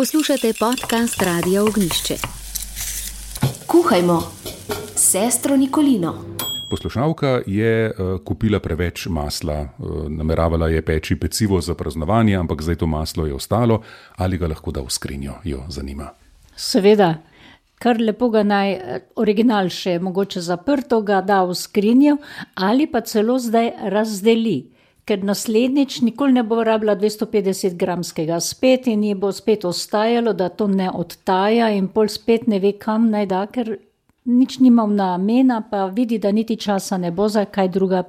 Poslušate podcast Radia Ognjišče. Kuhajmo s sestro Nikolino. Poslušalka je kupila preveč masla, nameravala je peči pecivo za praznovanje, ampak zdaj to maslo je ostalo, ali ga lahko da v skrinjo, jo zanima. Seveda, kar lepo ga naj original še mogoče zaprto ga da v skrinjo ali pa celo zdaj razdeli. Ker naslednjič nikoli ne bo rabila 250 gramskega spet in ji bo spet ostajalo, da to ne odtaja in pol spet ne ve, kam naj da, ker nič nima namena, pa vidi, da niti časa ne bo za kaj druga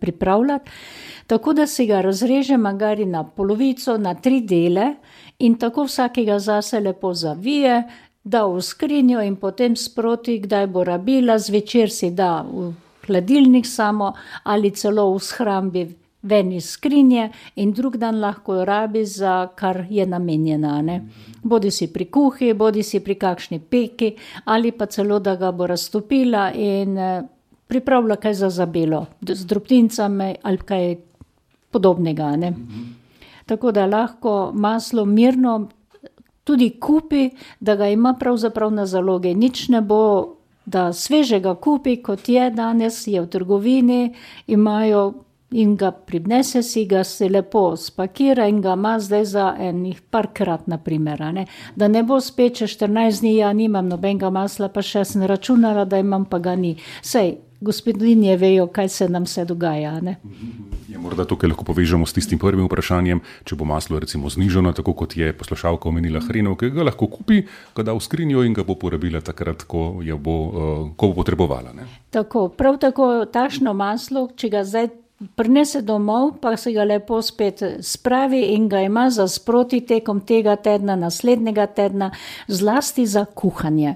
pripravljati. Tako da si ga razreže magari na polovico, na 3 dele in tako vsakega zase lepo zavije, da v skrinjo in potem sproti, kdaj bo rabila, zvečer si da v hladilnik samo ali celo v shrambi ven iz skrinje in drug dan lahko jo rabi za kar je namenjena. Ne? Bodi si pri kuhi, bodi si pri kakšni peki ali pa celo, da ga bo raztopila in pripravila kaj za zabelo, z drobtincami ali kaj podobnega. Ne? Tako da lahko maslo mirno tudi kupi, da ga ima pravzaprav na zaloge. Nič ne bo, da svežega kupi, kot je danes, je v trgovini, imajo in ga pribnese si, ga se lepo spakira in ga ima zdaj za enih parkrat, na primer. Ne? Da ne bo spet, če 14 dni, ja nimam nobenega masla, pa še sem računala, da imam, pa ga ni. Sej, gospodinje vejo, kaj se nam se dogaja. Ne? Ja, morda tukaj lahko povežemo s tistim prvim vprašanjem, če bo maslo recimo znižano, tako kot je poslušalka omenila hrenovke, ga lahko kupi, ga da v skrinjo in ga bo porabila takrat, ko bo potrebovala. Ne? Tako, prav tako takšno maslo, če ga zdaj prinese domov, pa se ga lepo spet spravi in ga ima za sproti tekom tega tedna, naslednjega tedna, zlasti za kuhanje.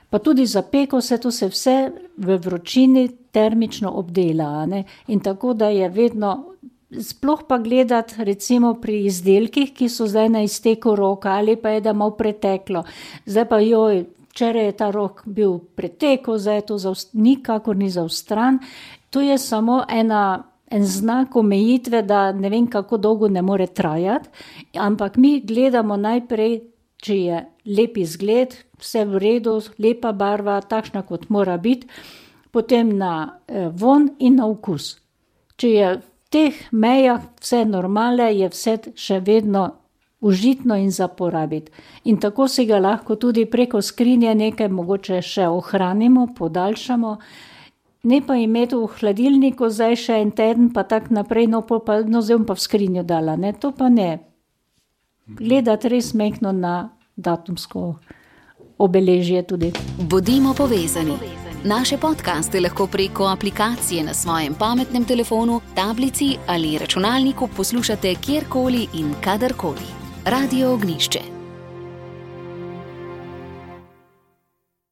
Pa tudi za peko to se vse v vročini termično obdela. Ne? In tako, da je vedno, sploh pa gledati recimo pri izdelkih, ki so zdaj na izteku roka ali pa je da malo preteklo. Zdaj pa včeraj je ta rok bil pretekel, zdaj je to nikakor ni zaostran. To je samo en znak omejitve, da ne vem, kako dolgo ne more trajati, ampak mi gledamo najprej, če je lep izgled, vse v redu, lepa barva, takšna kot mora biti, potem na vonj in na okus. Če je v teh mejah vse normale, je vse še vedno užitno in za porabiti. In tako si ga lahko tudi preko skrinje nekaj mogoče še ohranimo, podaljšamo, ne pa imeti v hladilniku zdaj še en teden, pa tak naprej, zdaj bom pa v skrinjo dala. Ne? To pa ne. Gledati res mehko na datumsko obeležje tudi. Bodimo povezani. Naše podcaste lahko preko aplikacije na svojem pametnem telefonu, tablici ali računalniku poslušate kjerkoli in kadarkoli. Radio Ognjišče.